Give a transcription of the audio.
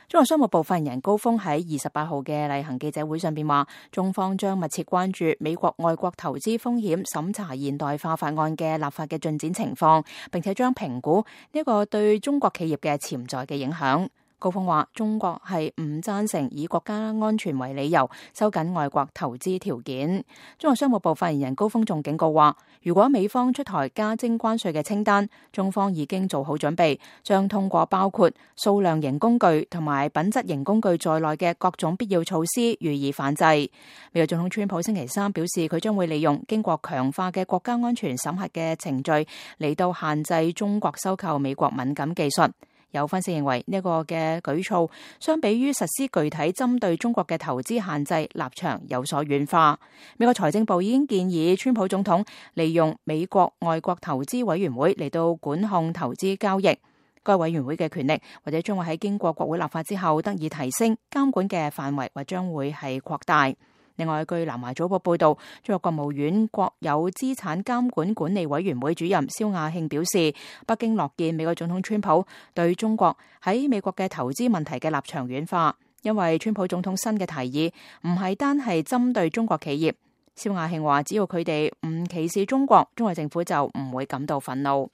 中國商務部發言人高峰喺28號嘅例行記者會上邊話，中方將密切關注美國外國投資風險審查現代化法案嘅立法嘅進展情況，並且將評估呢個對中國企業嘅潛在嘅影響。高峰話，中國係唔贊成以國家安全為理由收緊外國投資條件。中國商務部發言人高峰仲警告話，如果美方出台加徵關稅嘅清單，中方已經做好準備，將通過包括數量型工具同埋品質型工具在內嘅各種必要措施予以反制。美國總統川普星期三表示，佢將會利用經過強化嘅國家安全審核嘅程序嚟到限制中國收購美國敏感技術。有分析認為呢個嘅舉措相比於實施具體針對中國嘅投資限制，立場有所軟化。美國財政部已經建議川普總統利用美國外國投資委員會嚟到管控投資交易。該委員會嘅權力或者將會喺經過國會立法之後得以提升，監管嘅範圍或將會係擴大。另外，據南華早報報道，中國國務院國有資產監管管理委員會主任肖亞慶表示，北京樂見美國總統川普對中國喺美國嘅投資問題嘅立場軟化，因為川普總統新嘅提議唔係單係針對中國企業。肖亞慶話，只要佢哋唔歧視中國，中國政府就唔會感到憤怒。